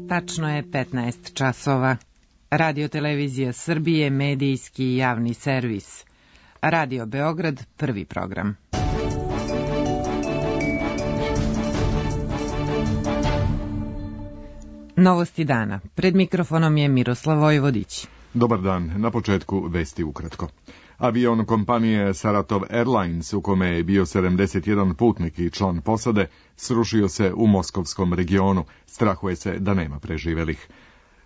Tačno je 15 časova. Radio Televizija Srbije, medijski i javni servis. Radio Beograd, prvi program. Novosti dana. Pred mikrofonom je Miroslav Vojvodić. Dobar dan. Na početku vesti ukratko. Avion kompanije Saratov Airlines, u kome je bio 71 putnik i član posade, srušio se u moskovskom regionu. Strahuje se da nema preživelih.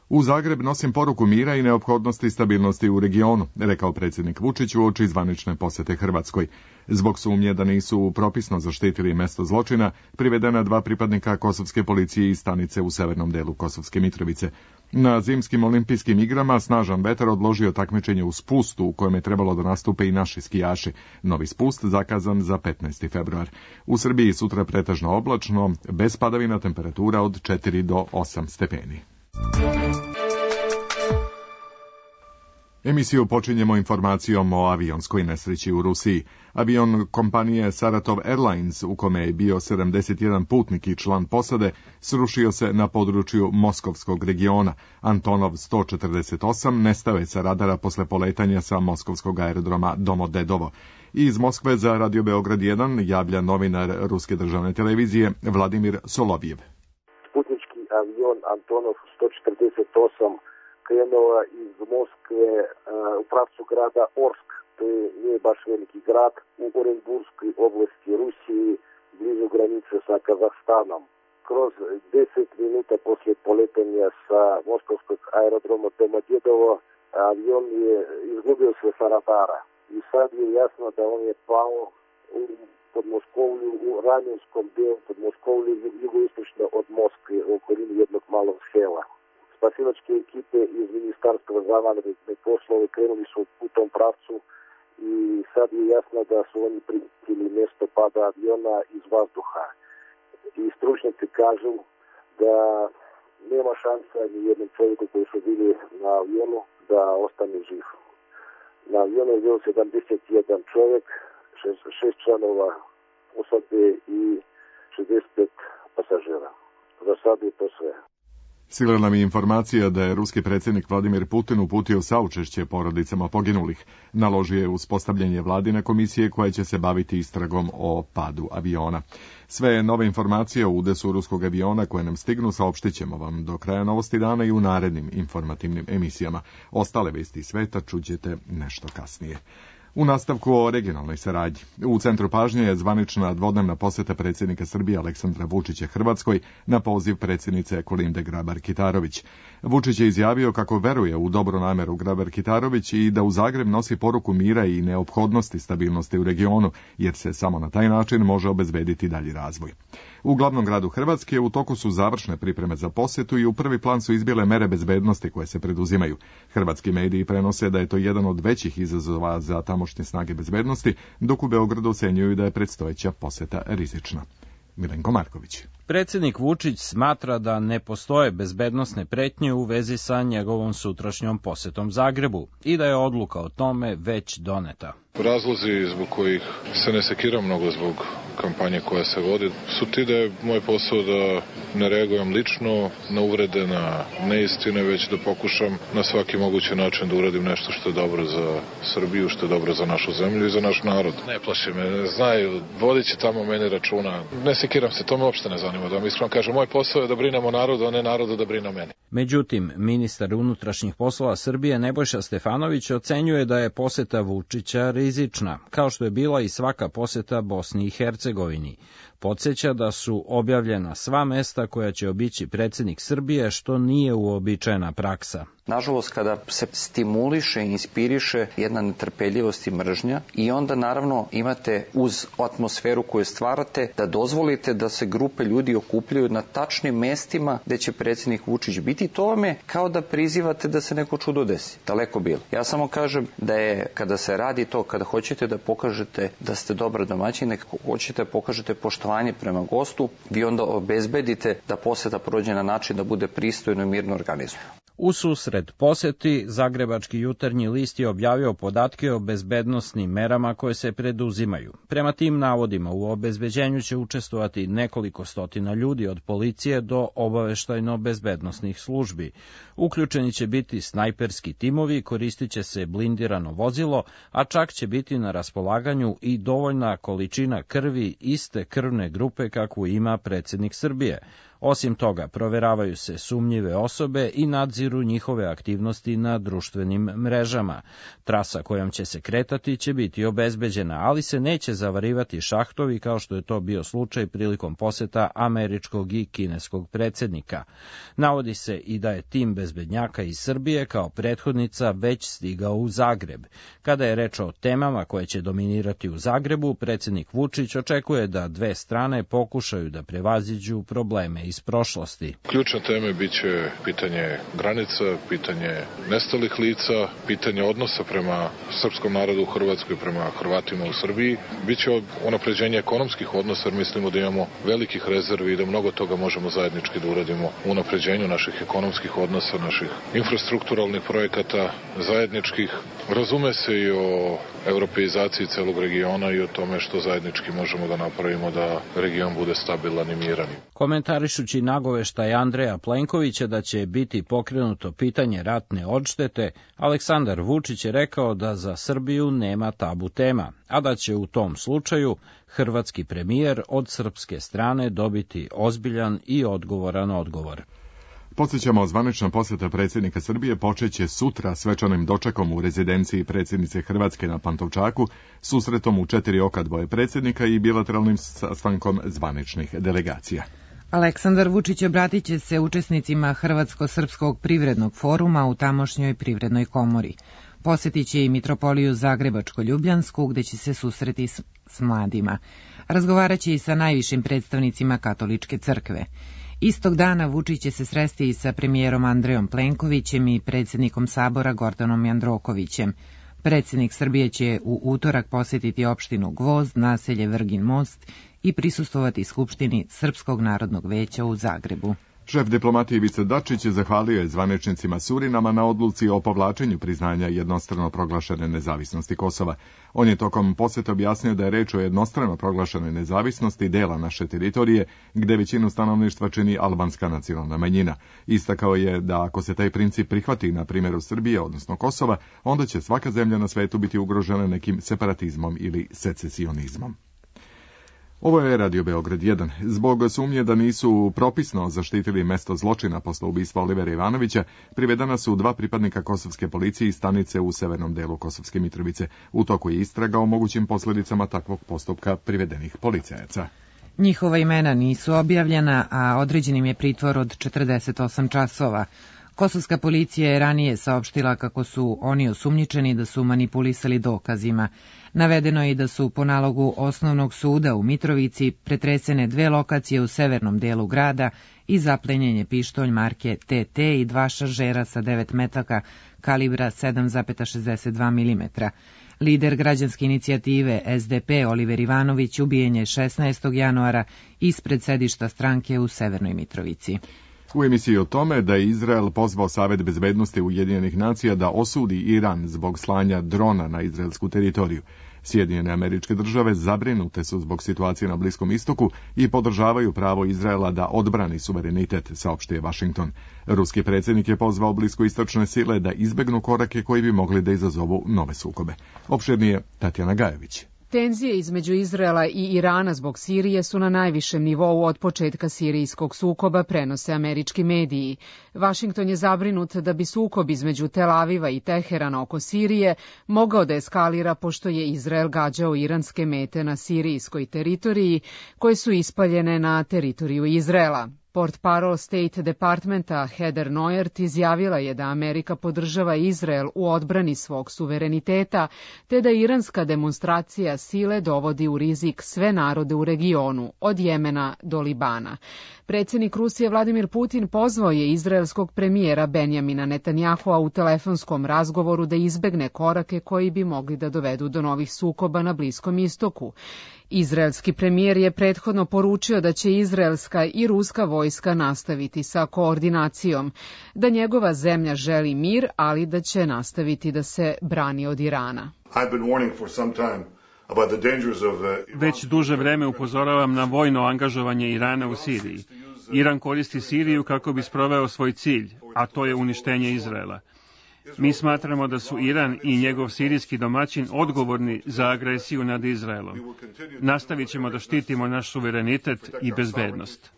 U Zagreb nosim poruku mira i neophodnosti i stabilnosti u regionu, rekao predsjednik Vučić uoči zvanične posete Hrvatskoj. Zbog sumnje da nisu propisno zaštitili mesto zločina, privedena 2 pripadnika kosovske policije iz stanice u severnom delu Kosovske Mitrovice. Na zimskim olimpijskim igrama snažan vetar odložio takmičenje u spustu u kojem je trebalo da nastupe i naši skijaši. Novi spust zakazan za 15. februar. U Srbiji sutra pretežno oblačno, bez padavina, temperatura od 4 do 8 stepeni. Emisiju počinjemo informacijom o avionskoj nesreći u Rusiji. Avion kompanije Saratov Airlines, u kome je bio 71 putnik i član posade, srušio se na području moskovskog regiona. Antonov 148 nestao je sa radara posle poletanja sa moskovskog aerodroma Domodedovo. Iz Moskve za Radio Beograd 1 javlja novinar Ruske državne televizije Vladimir Solovjev. Putnički avion Antonov 148 krenuo iz Moskve u pravcu grada Orsk, to nije baš veliki grad, u Orenburskoj oblasti Rusiji, blizu granice sa Kazahstanom. Kroz 10 minuta poslije poletanja sa moskovskog aerodroma Domodedovo, avion je izgubio se sa radara. I sad je jasno da on je pao u Podmoskovlju, u Ranjenskom delu Podmoskovlju, jugoistočno od Moskve, u okolini jednog malog sela. Spasilačke ekipe iz Ministarstva za vanredne poslove krenuli su u tom pravcu i sad je jasno da su oni primijetili mjesto pada aviona iz vazduha. I stručnjaci kažu da nema šansa ni jednom čovjeku koji su bili na avionu da ostane živ. Na avionu je bio 71 čovjek, 6 članova posade i 65 pasažera. Za sad je to sve. Stigla nam je informacija da je ruski predsjednik Vladimir Putin uputio saučešće porodicama poginulih. Naložio je uspostavljanje vladine komisije koja će se baviti istragom o padu aviona. Sve nove informacije o udesu ruskog aviona koje nam stignu saopštit ćemo vam do kraja Novosti dana i u narednim informativnim emisijama. Ostale vesti sveta čućete nešto kasnije. U nastavku o regionalnoj saradnji. U centru pažnje je zvanična dvodnevna posjeta predsjednika Srbije Aleksandra Vučića Hrvatskoj na poziv predsjednice Kolinde Grabar-Kitarović. Vučić je izjavio kako veruje u dobru nameru Grabar-Kitarović i da u Zagreb nosi poruku mira i neophodnosti stabilnosti u regionu, jer se samo na taj način može obezbediti dalji razvoj. U glavnom gradu Hrvatske u toku su završne pripreme za posjetu i u prvi plan su izbile mere bezbednosti koje se preduzimaju. Hrvatski mediji prenose da je to jedan od većih izazova za tamošnje snage bezbednosti, dok u Beogradu ocenjuju da je predstojeća posjeta rizična. Milenko Marković. Predsjednik Vučić smatra da ne postoje bezbednosne pretnje u vezi sa njegovom sutrašnjom posjetom Zagrebu i da je odluka o tome već doneta. Razlozi zbog kojih se ne sekiram mnogo zbog kampanje koja se vodi su ti da je moj posao da ne reagujem lično na uvrede, na neistine, već da pokušam na svaki mogući način da uradim nešto što je dobro za Srbiju, što je dobro za našu zemlju i za naš narod. Ne plaši me, znaju, vodit će tamo meni računa. Ne sekiram se, to me uopšte ne zanima. Da mi iskreno kažem, moj posao je da brinem o narodu, a ne narodu da brine o meni. Međutim, ministar unutrašnjih poslova Srbije Nebojša Stefanović ocenjuje da je poseta Vučića rizična, kao što je bila i svaka poseta Bosni i Hercegovini. Podsjeća da su objavljena sva mesta koja će obići predsjednik Srbije, što nije uobičajena praksa. Nažalost, kada se stimuliše i inspiriše jedna netrpeljivost i mržnja i onda naravno imate uz atmosferu koju stvarate da dozvolite da se grupe ljudi okupljaju na tačnim mestima gde će predsjednik Vučić biti, to vam je kao da prizivate da se neko čudo desi. Daleko bilo. Ja samo kažem da je kada se radi to, kada hoćete da pokažete da ste dobar domaćin, hoćete da pokažete poštovanje prema gostu, vi onda obezbedite da poseta prođe na način da bude pristojno i mirno organizovano. U susret poseti, Zagrebački jutarnji list je objavio podatke o bezbednosnim merama koje se preduzimaju. Prema tim navodima u obezbeđenju će učestvovati nekoliko stotina ljudi od policije do obaveštajno-bezbednosnih službi. Uključeni će biti snajperski timovi, koristit će se blindirano vozilo, a čak će biti na raspolaganju i dovoljna količina krvi iste krvne grupe kakvu ima predsjednik Srbije. Osim toga, proveravaju se sumnjive osobe i nadziru njihove aktivnosti na društvenim mrežama. Trasa kojom će se kretati će biti obezbeđena, ali se neće zavarivati šahtovi kao što je to bio slučaj prilikom poseta američkog i kineskog predsjednika. Navodi se i da je tim bezbednjaka iz Srbije kao prethodnica već stigao u Zagreb. Kada je reč o temama koje će dominirati u Zagrebu, predsjednik Vučić očekuje da dve strane pokušaju da prevaziđu probleme iz prošlosti. Ključne teme biće pitanje granica, pitanje nestalih lica, pitanje odnosa prema srpskom narodu u Hrvatskoj, prema Hrvatima u Srbiji. Biće unapređenje ekonomskih odnosa, jer mislimo da imamo velikih rezervi i da mnogo toga možemo zajednički da uradimo u unapređenju naših ekonomskih odnosa, naših infrastrukturalnih projekata, zajedničkih. Razume se i o europeizaciji celog regiona i o tome što zajednički možemo da napravimo da region bude stabilan i miran. Komentarišući nagoveštaj Andreja Plenkovića da će biti pokrenuto pitanje ratne odštete, Aleksandar Vučić je rekao da za Srbiju nema tabu tema, a da će u tom slučaju hrvatski premijer od srpske strane dobiti ozbiljan i odgovoran odgovor. Podsjećamo, zvanična posjeta predsjednika Srbije počeće sutra svečanim dočekom u rezidenciji predsjednice Hrvatske na Pantovčaku, susretom u 4 oka dvoje predsjednika i bilateralnim sastankom zvaničnih delegacija. Aleksandar Vučić obratit će se učesnicima Hrvatsko-srpskog privrednog foruma u tamošnjoj privrednoj komori. Posjetit će i mitropoliju Zagrebačko-Ljubljansku, gde će se susreti s mladima. Razgovarat će i sa najvišim predstavnicima katoličke crkve. Istog dana Vučić će se sresti i sa premijerom Andrejom Plenkovićem i predsjednikom Sabora Gordanom Jandrokovićem. Predsjednik Srbije će u utorak posjetiti opštinu Gvozd, naselje Vrgin Most i prisustvovati Skupštini Srpskog narodnog veća u Zagrebu. Šef diplomatije Ivica Dačić zvaničio je zvaničnicima Surinama na odluci o povlačenju priznanja jednostrano proglašene nezavisnosti Kosova. On je tokom posjeta objasnio da je reč o jednostrano proglašenoj nezavisnosti dela naše teritorije, gde većinu stanovništva čini albanska nacionalna manjina. Istakao je da ako se taj princip prihvati na primjeru Srbije, odnosno Kosova, onda će svaka zemlja na svetu biti ugrožena nekim separatizmom ili secesionizmom. Ovo je Radio Beograd 1. Zbog sumnje da nisu propisno zaštitili mesto zločina posle ubistva Olivera Ivanovića, privedena su 2 pripadnika kosovske policije iz stanice u severnom delu Kosovske Mitrovice. U toku je istraga o mogućim posljedicama takvog postupka privedenih policajaca. Njihova imena nisu objavljena, a određen im je pritvor od 48 časova. Kosovska policija je ranije saopštila kako su oni osumnjičeni da su manipulisali dokazima. Navedeno je i da su po nalogu osnovnog suda u Mitrovici pretresene 2 lokacije u severnom delu grada i zaplenjen je pištolj marke TT i 2 šaržera sa 9 metaka kalibra 7,62 mm. Lider građanske inicijative SDP Oliver Ivanović ubijen je 16. januara ispred sedišta stranke u Severnoj Mitrovici. U emisiji o tome da je Izrael pozvao Savet bezbednosti Ujedinjenih nacija da osudi Iran zbog slanja drona na izraelsku teritoriju. Sjedinjene Američke Države zabrinute su zbog situacije na Bliskom istoku i podržavaju pravo Izraela da odbrani suverenitet, saopštio Washington. Ruski predsjednik je pozvao bliskoistočne sile da izbegnu korake koji bi mogli da izazovu nove sukobe. Opširnije Tatjana Gajević. Tenzije između Izraela i Irana zbog Sirije su na najvišem nivou od početka sirijskog sukoba, prenose američki mediji. Vašington je zabrinut da bi sukob između Tel Aviva i Teherana oko Sirije mogao da eskalira pošto je Izrael gađao iranske mete na sirijskoj teritoriji koje su ispaljene na teritoriju Izraela. Portparol State Departmenta Heather Nauert izjavila je da Amerika podržava Izrael u odbrani svog suvereniteta, te da iranska demonstracija sile dovodi u rizik sve narode u regionu, od Jemena do Libana. Predsjednik Rusije Vladimir Putin pozvao je izraelskog premijera Benjamina Netanjahua u telefonskom razgovoru da izbegne korake koji bi mogli da dovedu do novih sukoba na Bliskom istoku. Izraelski premijer je prethodno poručio da će izraelska i ruska vojska nastaviti sa koordinacijom, da njegova zemlja želi mir, ali da će nastaviti da se brani od Irana. Već duže vreme upozoravam na vojno angažovanje Irana u Siriji. Iran koristi Siriju kako bi sproveo svoj cilj, a to je uništenje Izraela. Mi smatramo da su Iran i njegov sirijski domaćin odgovorni za agresiju nad Izraelom. Nastavit ćemo da štitimo naš suverenitet i bezbednost.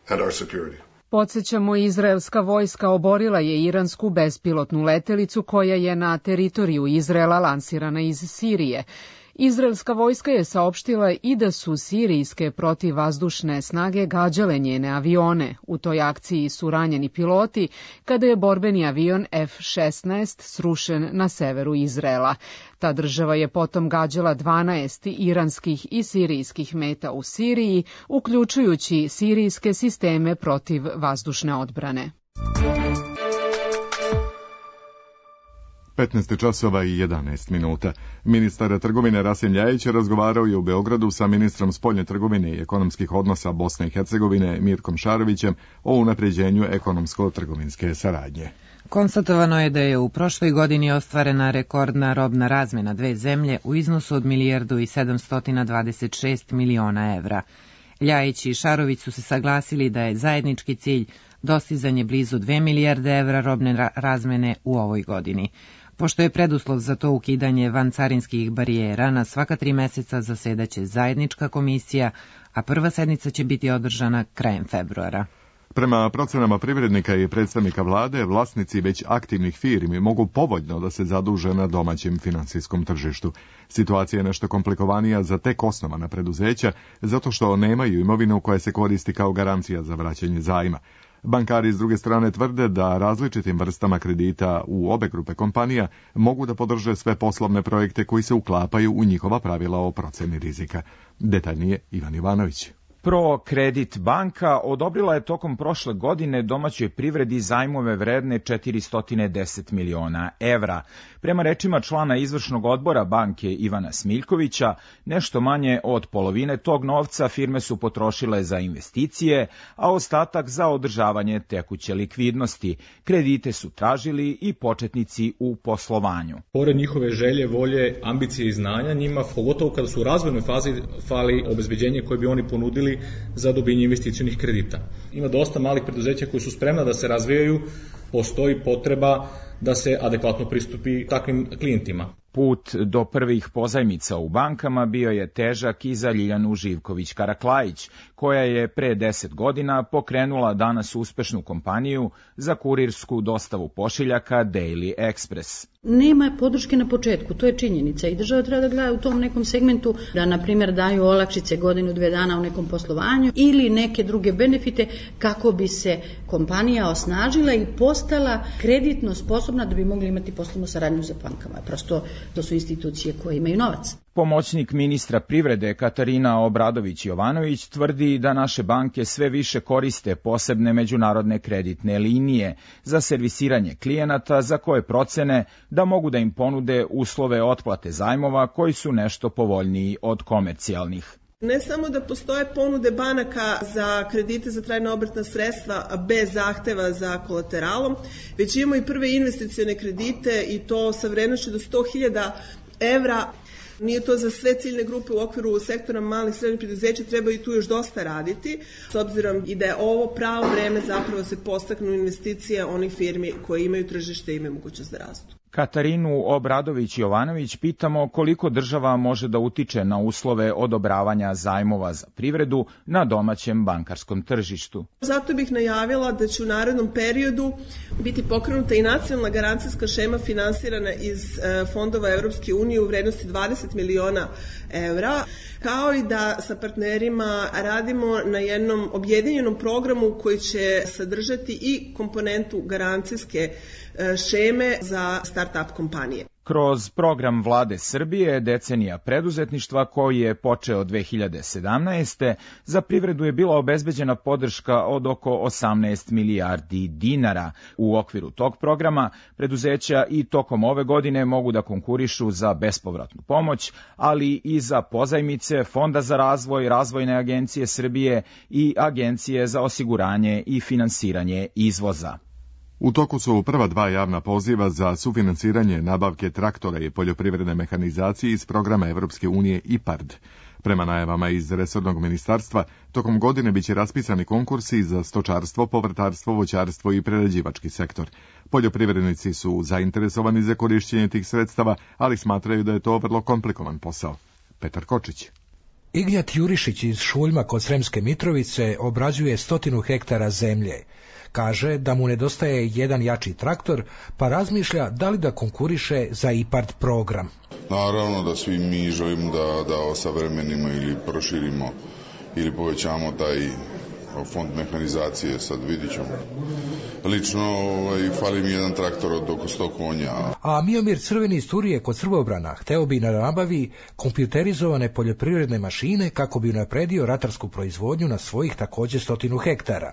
Podsjećamo, izraelska vojska oborila je iransku bespilotnu letelicu koja je na teritoriju Izraela lansirana iz Sirije. Izraelska vojska je saopštila i da su sirijske protivvazdušne snage gađale njene avione. U toj akciji su ranjeni piloti kada je borbeni avion F-16 srušen na severu Izraela. Ta država je potom gađala 12 iranskih i sirijskih meta u Siriji, uključujući sirijske sisteme protivvazdušne odbrane. 15 časova i 11 minuta. Ministar trgovine Rasim Ljajić razgovarao je u Beogradu sa ministrom spoljne trgovine i ekonomskih odnosa Bosne i Hercegovine Mirkom Šarovićem o unapređenju ekonomsko-trgovinske saradnje. Konstatovano je da je u prošloj godini ostvarena rekordna robna razmena dve zemlje u iznosu od 1.726 miliona evra. Ljajić i Šarović su se saglasili da je zajednički cilj dostizanje blizu 2 milijarde evra robne razmene u ovoj godini. Pošto je preduslov za to ukidanje vancarinskih barijera, na svaka 3 meseca zasedaće zajednička komisija, a prva sednica će biti održana krajem februara. Prema procenama privrednika i predstavnika vlade, vlasnici već aktivnih firmi mogu povoljno da se zaduže na domaćem finansijskom tržištu. Situacija je nešto komplikovanija za tek osnovana preduzeća, zato što nemaju imovinu koja se koristi kao garancija za vraćanje zajma. Bankari s druge strane tvrde da različitim vrstama kredita u obe grupe kompanija mogu da podrže sve poslovne projekte koji se uklapaju u njihova pravila o proceni rizika. Detaljnije Ivan Ivanović. ProCredit banka odobrila je tokom prošle godine domaćoj privredi zajmove vredne 410 miliona evra. Prema rečima člana izvršnog odbora banke Ivana Smiljkovića, nešto manje od polovine tog novca firme su potrošile za investicije, a ostatak za održavanje tekuće likvidnosti. Kredite su tražili i početnici u poslovanju. Pored njihove želje, volje, ambicije i znanja, njima, pogotovo kada su u razvojnoj fazi, fali obezbeđenje koje bi oni ponudili za dobijanje investicionih kredita. Ima dosta malih preduzeća koji su spremna da se razvijaju, postoji potreba da se adekvatno pristupi takvim klijentima. Put do prvih pozajmica u bankama bio je težak i za Ljiljanu Živković-Karaklajić, koja je pre 10 godina pokrenula danas uspešnu kompaniju za kurirsku dostavu pošiljaka Daily Express. Nema podrške na početku, to je činjenica i država treba da gleda u tom nekom segmentu da, na primjer, daju olakšice godinu, 2 dana u nekom poslovanju ili neke druge benefite kako bi se kompanija osnažila i postala kreditno sposobna da bi mogli imati poslovnu saradnju sa bankama. Prosto to su institucije koje imaju novac. Pomoćnik ministra privrede Katarina Obradović-Jovanović tvrdi da naše banke sve više koriste posebne međunarodne kreditne linije za servisiranje klijenata za koje procene da mogu da im ponude uslove otplate zajmova koji su nešto povoljniji od komercijalnih. Ne samo da postoje ponude banaka za kredite za trajna obrtna sredstva bez zahteva za kolateralom, već imamo i prve investicione kredite i to sa vrednošću do 100.000 evra. Nije to za sve ciljne grupe u okviru sektora malih i srednjih preduzeća, treba i tu još dosta raditi, s obzirom i da je ovo pravo vreme zapravo se podstaknu investicije onih firmi koje imaju tržište i imaju mogućnost da rastu. Katarinu Obradović-Jovanović pitamo koliko država može da utiče na uslove odobravanja zajmova za privredu na domaćem bankarskom tržištu. Zato bih najavila da će u narednom periodu biti pokrenuta i nacionalna garancijska šema finansirana iz fondova Evropske unije u vrednosti 20 miliona evra, kao i da sa partnerima radimo na jednom objedinjenom programu koji će sadržati i komponentu garancijske šeme za start-up kompanije. Kroz program vlade Srbije Decenija preduzetništva koji je počeo 2017. za privredu je bila obezbeđena podrška od oko 18 milijardi dinara. U okviru tog programa preduzeća i tokom ove godine mogu da konkurišu za bespovratnu pomoć, ali i za pozajmice Fonda za razvoj, Razvojne agencije Srbije i Agencije za osiguranje i finansiranje izvoza. U toku su prva 2 javna poziva za sufinansiranje nabavke traktora i poljoprivredne mehanizacije iz programa Evropske unije IPARD. Prema najavama iz resornog ministarstva, tokom godine biće raspisani konkursi za stočarstvo, povrtarstvo, voćarstvo i prerađivački sektor. Poljoprivrednici su zainteresovani za korišćenje tih sredstava, ali smatraju da je to vrlo komplikovan posao. Petar Kočić. Ignjat Jurišić iz Šuljma kod Sremske Mitrovice obrađuje 100 hektara zemlje. Kaže da mu nedostaje jedan jači traktor, pa razmišlja da li da konkuriše za IPARD program. Naravno da svi mi želimo da osavremenimo ili proširimo ili povećamo taj fond mehanizacije, sad vidit ćemo. Lično fali mi jedan traktor od oko 100 konja. A Miomir Crveni iz Turije kod Srbobrana hteo bi na nabavi kompjuterizovane poljoprivredne mašine kako bi unapredio ratarsku proizvodnju na svojih takođe 100 hektara.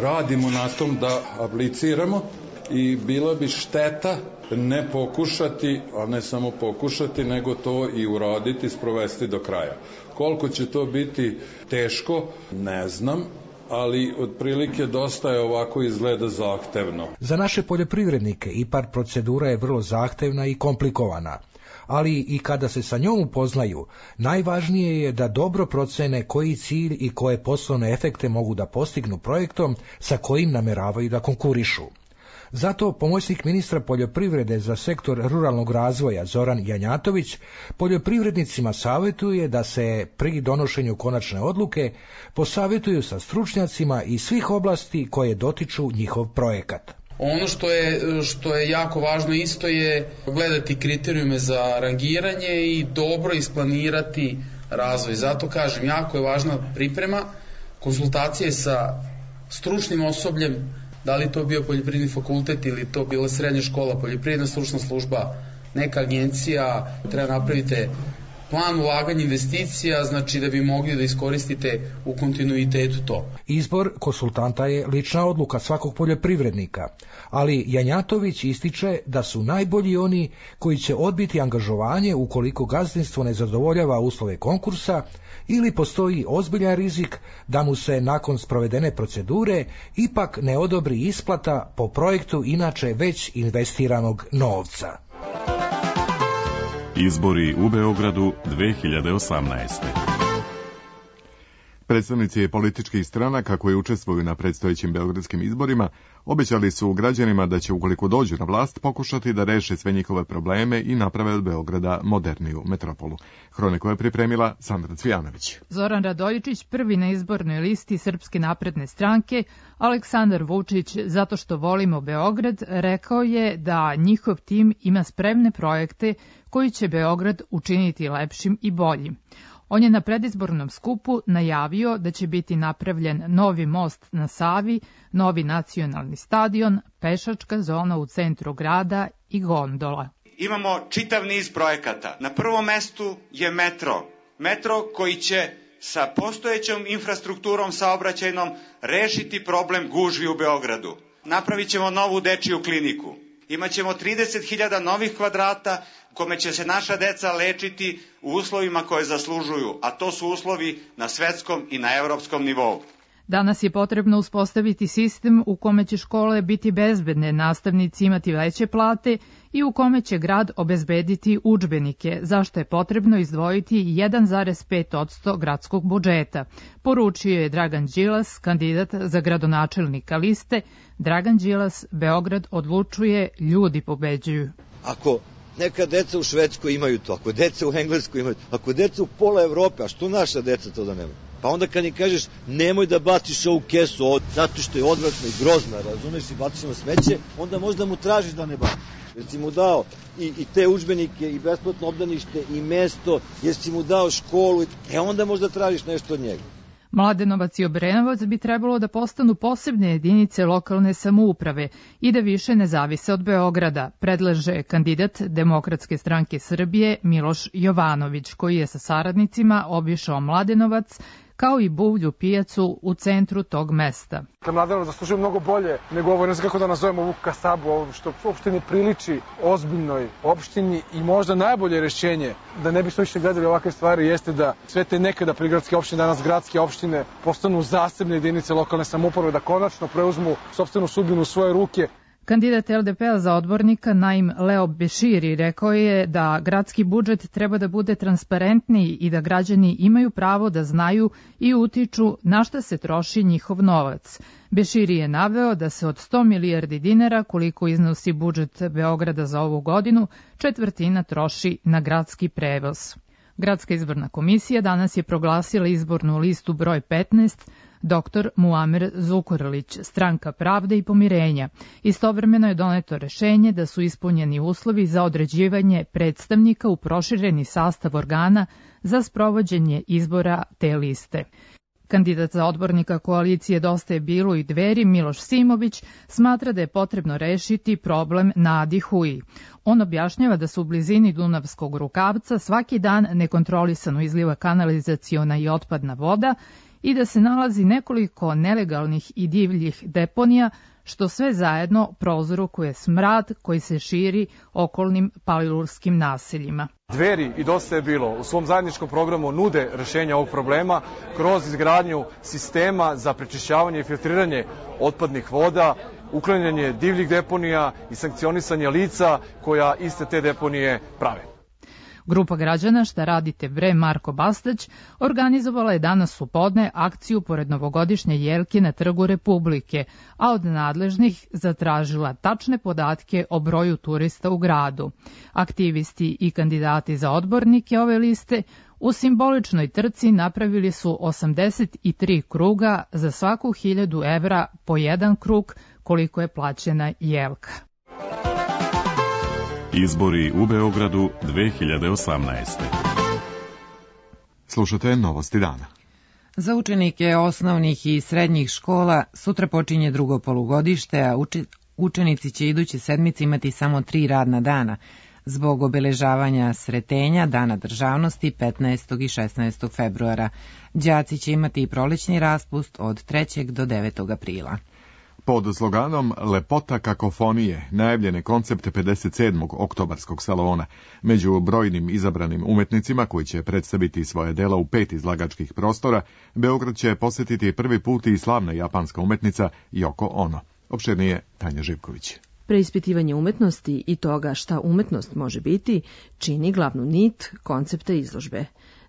Radimo na tom da apliciramo i bila bi šteta ne pokušati, a ne samo pokušati, nego to i uraditi, sprovesti do kraja. Koliko će to biti teško, ne znam, ali otprilike dosta je ovako izgleda zahtevno. Za naše poljoprivrednike IPARD procedura je vrlo zahtevna i komplikovana, ali i kada se sa njom upoznaju, najvažnije je da dobro procene koji cilj i koje poslovne efekte mogu da postignu projektom sa kojim nameravaju da konkurišu. Zato pomoćnik ministra poljoprivrede za sektor ruralnog razvoja Zoran Janjatović poljoprivrednicima savjetuje da se pri donošenju konačne odluke posavjetuju sa stručnjacima iz svih oblasti koje dotiču njihov projekat. Ono što je jako važno isto je gledati kriterijume za rangiranje i dobro isplanirati razvoj. Zato kažem, jako je važna priprema, konsultacije sa stručnim osobljem, da li to bio poljoprivredni fakultet ili to bila srednja škola, poljoprivredna stručna služba, neka agencija, treba napraviti plan ulaganja investicija, znači da bi mogli da iskoristite u kontinuitetu to. Izbor konsultanta je lična odluka svakog poljoprivrednika, ali Janjatović ističe da su najbolji oni koji će odbiti angažovanje ukoliko gazdinstvo ne zadovoljava uslove konkursa ili postoji ozbiljan rizik da mu se nakon sprovedene procedure ipak ne odobri isplata po projektu inače već investiranog novca. Izbori u Beogradu 2018. Predstavnici političkih stranaka koji učestvuju na predstojećim beogradskim izborima obećali su građanima da će, ukoliko dođu na vlast, pokušati da reše sve njihove probleme i naprave od Beograda moderniju metropolu. Hroniku je pripremila Sandra Cvijanović. Zoran Radojičić prvi na izbornoj listi Srpske napredne stranke, Aleksandar Vučić zato što volimo Beograd, rekao je da njihov tim ima spremne projekte koji će Beograd učiniti lepšim i boljim. On je na predizbornom skupu najavio da će biti napravljen novi most na Savi, novi nacionalni stadion, pešačka zona u centru grada i gondola. Imamo čitav niz projekata. Na prvom mestu je metro. Metro koji će sa postojećom infrastrukturom saobraćajnom rešiti problem gužvi u Beogradu. Napravit ćemo novu dečiju kliniku. Imaćemo 30.000 novih kvadrata kome će se naša deca lečiti u uslovima koje zaslužuju, a to su uslovi na svetskom i na evropskom nivou. Danas je potrebno uspostaviti sistem u kome će škole biti bezbedne, nastavnici imati veće plate i u kome će grad obezbediti udžbenike, zašto je potrebno izdvojiti 1,5% gradskog budžeta, poručio je Dragan Đilas, kandidat za gradonačelnika liste. Dragan Đilas, Beograd odlučuje, ljudi pobeđuju. Ako neka deca u Švedskoj imaju to, ako deca u Engleskoj imaju to, ako deca u pola Evrope, a što naša deca to da nemaju? Pa onda kad im kažeš nemoj da baciš ovu kesu zato što je odvratna i grozna, razumeš, i baciš na smeće, onda možda mu tražiš da ne baciš. Jer si mu dao i te udžbenike i besplatno obdanište i mesto, jer si mu dao školu, onda možda tražiš nešto od njega. Mladenovac i Obrenovac bi trebalo da postanu posebne jedinice lokalne samouprave i da više ne zavise od Beograda, predlaže kandidat Demokratske stranke Srbije Miloš Jovanović, koji je sa saradnicima obišao Mladenovac kao i buvlju pijacu u centru tog mesta. Mladenovac zaslužuje mnogo bolje nego ovo, ne znam kako da nazovemo ovu kasabu, ovo što uopšte ne priliči ozbiljnoj opštini i možda najbolje rešenje da ne bismo više gledali ovakve stvari jeste da sve te nekada prigradske opštine, danas gradske opštine, postanu zasebne jedinice lokalne samouprave, da konačno preuzmu sopstvenu sudbinu u svoje ruke. Kandidat LDP-a za odbornika Naim Leo Beširi rekao je da gradski budžet treba da bude transparentniji i da građani imaju pravo da znaju i utiču na šta se troši njihov novac. Beširi je naveo da se od 100 milijardi dinara, koliko iznosi budžet Beograda za ovu godinu, četvrtina troši na gradski prevoz. Gradska izborna komisija danas je proglasila izbornu listu broj 15, dr. Muamer Zukorlić, Stranka pravde i pomirenja. Istovremeno je doneto rešenje da su ispunjeni uslovi za određivanje predstavnika u prošireni sastav organa za sprovođenje izbora te liste. Kandidat za odbornika koalicije Dosta je bilo i Dveri, Miloš Simović, smatra da je potrebno rešiti problem na Adi Huji. On objašnjava da su u blizini Dunavskog rukavca svaki dan nekontrolisano izliva kanalizaciona i otpadna voda i da se nalazi nekoliko nelegalnih i divljih deponija, što sve zajedno prouzrokuje smrad koji se širi okolnim palilurskim naseljima. Dveri i Dosta je bilo u svom zajedničkom programu nude rešenja ovog problema kroz izgradnju sistema za prečišćavanje i filtriranje otpadnih voda, uklanjanje divljih deponija i sankcionisanje lica koja iste te deponije prave. Grupa građana Šta radite bre Marko Bastać organizovala je danas u podne akciju pored novogodišnje jelke na Trgu Republike, a od nadležnih zatražila tačne podatke o broju turista u gradu. Aktivisti i kandidati za odbornike ove liste u simboličnoj trci napravili su 83 kruga za svaku 1000 evra po jedan krug koliko je plaćena jelka. Izbori u Beogradu 2018. Slušate Novosti dana. Za učenike osnovnih i srednjih škola sutra počinje drugo polugodište, a učenici će iduće sedmice imati samo 3 radna dana zbog obeležavanja Sretenja, Dana državnosti 15. i 16. februara. Đaci će imati i prolećni raspust od 3. do 9. aprila. Pod sloganom Lepota kakofonije najavljen je koncept 57. oktobarskog salona. Među brojnim izabranim umetnicima koji će predstaviti svoje dela u 5 izlagačkih prostora, Beograd će posetiti prvi put i slavna japanska umetnica Yoko Ono. Opširnije Tanja Živković. Preispitivanje umetnosti i toga šta umetnost može biti čini glavnu nit koncepta izložbe.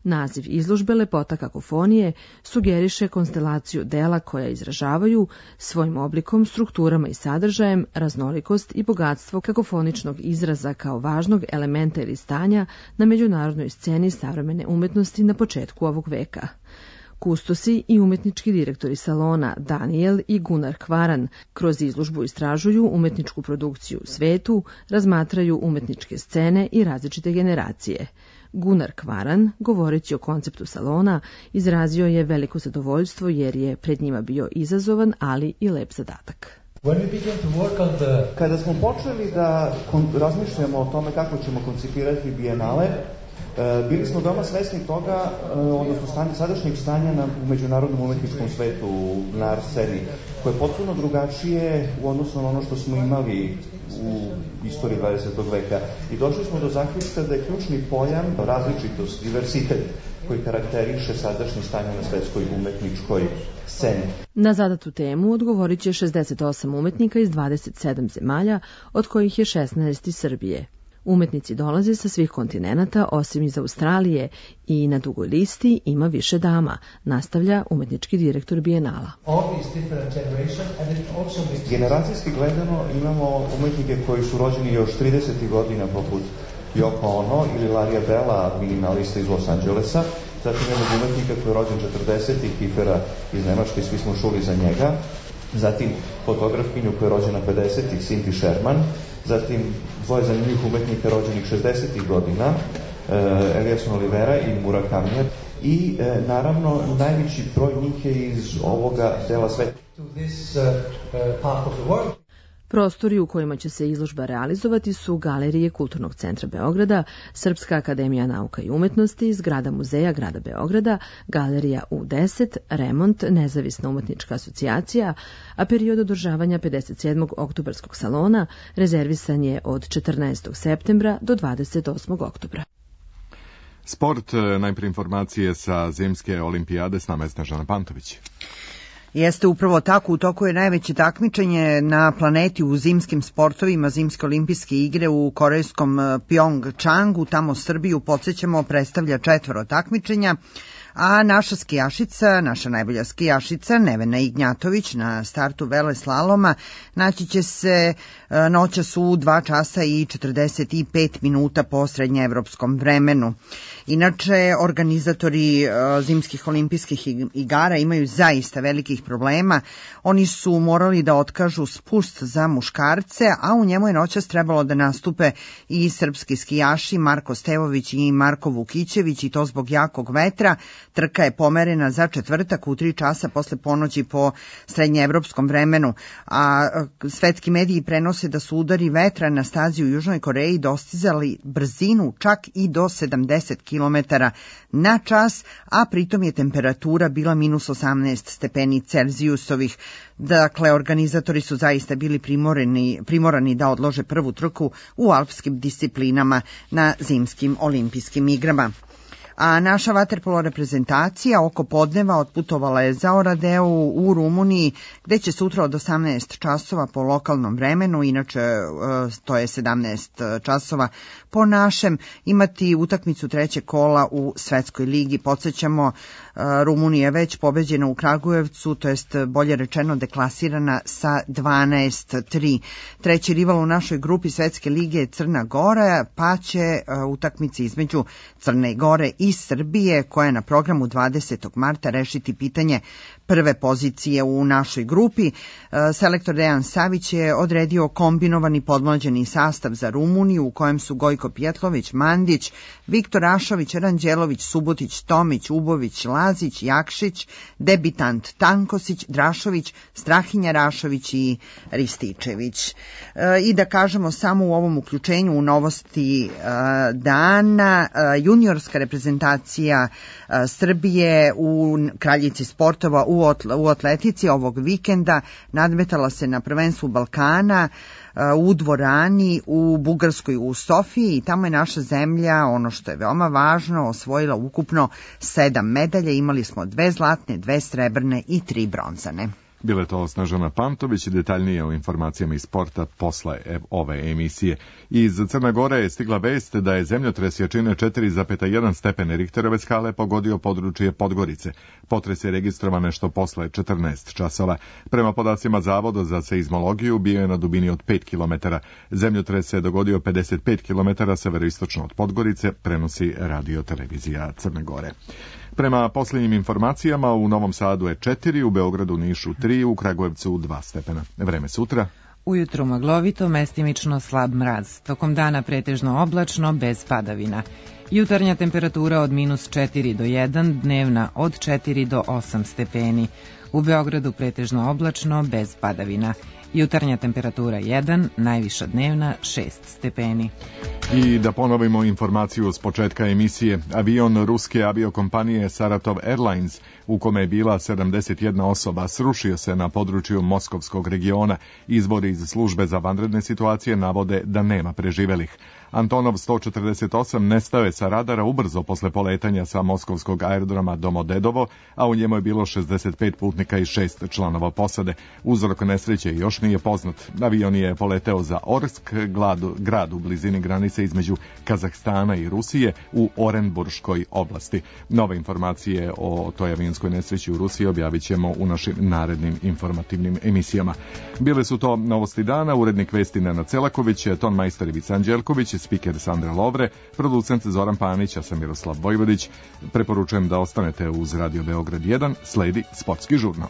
Naziv izložbe Lepota kakofonije sugeriše konstelaciju dela koja izražavaju svojim oblikom, strukturama i sadržajem raznolikost i bogatstvo kakofoničnog izraza kao važnog elementa ili stanja na međunarodnoj sceni savremene umetnosti na početku ovog veka. Kustosi i umetnički direktori salona Daniel i Gunnar Kvaran kroz izložbu istražuju umetničku produkciju u svetu, razmatraju umetničke scene i različite generacije. Gunnar Kvaran, govoreći o konceptu salona, izrazio je veliko zadovoljstvo jer je pred njima bio izazovan, ali i lep zadatak. Kada smo počeli da razmišljamo o tome kako ćemo koncipirati bijenale, bili smo veoma svesni toga, odnosno sadašnjeg stanja u međunarodnom umetničkom svetu, na art sceni, koje je potpuno drugačije u odnosu na ono što smo imali u istoriji 20. veka. I došli smo do zaključka da je ključni pojam različitost, diversitet, koji karakteriše sadašnje stanje na svetskoj umetničkoj sceni. Na zadatu temu odgovorit će 68 umetnika iz 27 zemalja, od kojih je 16 iz Srbije. Umetnici dolaze sa svih kontinenata, osim iz Australije, i na dugoj listi ima više dama, nastavlja umetnički direktor Bijenala. Generacijski gledano imamo umetnike koji su rođeni još 30. godina, poput Yoko Ono ili Larija Bela, minimalista iz Los Angelesa. Zatim imamo umetnika koji je rođen 40. Kifera iz Nemačke, svi smo čuli za njega. Zatim fotografkinju koja je rođena 50. Cindy Sherman. Zatim dvoje zanimljivih umetnika rođenih 60. godina, Eliasson Olivera i Murakami. i naravno najveći broj njih je iz ovoga dela sveta. Prostori u kojima će se izložba realizovati su Galerije Kulturnog centra Beograda, Srpska akademija nauka i umetnosti, zgrada muzeja grada Beograda, Galerija U10, Remont, Nezavisna umetnička asocijacija, a period održavanja 57. oktobarskog salona rezervisan je od 14. septembra do 28. oktobra. Sport, najprije informacije sa zimske olimpijade, s nama je Snežana Pantović. Jeste upravo tako, u toku je najveće takmičenje na planeti u zimskim sportovima, zimske olimpijske igre u korejskom Pjongčangu, tamo Srbiju, podsjećamo, predstavlja 4 takmičenja, a naša skijašica, naša najbolja skijašica, Nevena Ignjatović, na startu veleslaloma, naći će se noćas u 2 časa i 45 minuta po srednjeevropskom vremenu. Inače, organizatori zimskih olimpijskih igara imaju zaista velikih problema. Oni su morali da otkažu spust za muškarce, a u njemu je noćas trebalo da nastupe i srpski skijaši Marko Stevović i Marko Vukićević, i to zbog jakog vetra. Trka je pomerena za četvrtak u 3 časa posle ponoći po srednjeevropskom vremenu, a svetski mediji prenose da su udari vetra na stazi u Južnoj Koreji dostizali brzinu čak i do 70 km na čas, a pritom je temperatura bila minus 18 stepeni Celzijusovih. Dakle, organizatori su zaista bili primorani da odlože prvu trku u alpskim disciplinama na zimskim olimpijskim igrama. A naša vaterpolo reprezentacija oko podneva otputovala je za Oradeu u Rumuniji, gde će sutra od 18 časova po lokalnom vremenu, inače to je 17 časova po našem, imati utakmicu 3. kola u Svetskoj ligi. Podsjećamo, Rumunija je već pobeđena u Kragujevcu, to jest bolje rečeno deklasirana sa 12-3. Treći rival u našoj grupi Svetske lige je Crna Gora, pa će utakmici između Crne Gore i Srbije, koja je na programu 20. marta, rešiti pitanje prve pozicije u našoj grupi. Selektor Dejan Savić je odredio kombinovani podmlađeni sastav za Rumuniju, u kojem su Gojko Pjetlović, Mandić, Viktor Ašović, Ranđelović, Subotić, Tomić, Ubović, Lazić, Jakšić, debitant Tankosić, Drašović, Strahinja Rašović i Rističević. I da kažemo samo u ovom uključenju u novosti dana, juniorska reprezentacija Srbije u kraljici sportova u atletici ovog vikenda nadmetala se na prvenstvu Balkana u dvorani u Bugarskoj u Sofiji, i tamo je naša zemlja, ono što je veoma važno, osvojila ukupno 7 medalja. Imali smo 2 zlatne, 2 srebrne i 3 bronzane. Bile to Snežana Pantović, detaljnije o informacijama iz sporta posle ove emisije. Iz Crne Gore je stigla vest da je zemljotres jačine 4,1 stepene Richterove skale pogodio područje Podgorice. Potres je registrovan nešto posle 14 časova. Prema podacima Zavoda za seizmologiju bio je na dubini od 5 km. Zemljotres se dogodio 55 km severoistočno od Podgorice, prenosi Radio televizija Crne Gore. Prema posljednjim informacijama, u Novom Sadu je 4, u Beogradu, Nišu 3, u Kragujevcu 2 stepena. Vreme sutra. Ujutru maglovito, mestimično slab mraz. Tokom dana pretežno oblačno, bez padavina. Jutarnja temperatura od -4 do 1, dnevna od 4 do 8 stepeni. U Beogradu pretežno oblačno, bez padavina. Jutarnja temperatura 1, najviša dnevna 6 stepeni. I da ponovimo informaciju s početka emisije. Avion ruske aviokompanije Saratov Airlines, u kome je bila 71 osoba, srušio se na području Moskovskog regiona. Izvori iz službe za vanredne situacije navode da nema preživelih. Antonov 148 nestao je sa radara ubrzo posle poletanja sa moskovskog aerodroma Domodedovo, a u njemu je bilo 65 putnika i 6 članova posade. Uzrok nesreće još nije poznat. Avion je poleteo za Orsk, grad u blizini granice između Kazahstana i Rusije u Orenburškoj oblasti. Nove informacije o toj avionskoj nesreći u Rusiji objavit ćemo u našim narednim informativnim emisijama. Bile su to novosti dana, urednik vesti Nenad Celaković, tonmajster Ivica Anđelković, spiker Sandra Lovre, producent Zoran Panić, a sam Miroslav Vojvodić. Preporučujem da ostanete uz Radio Beograd 1, sledi sportski žurnal.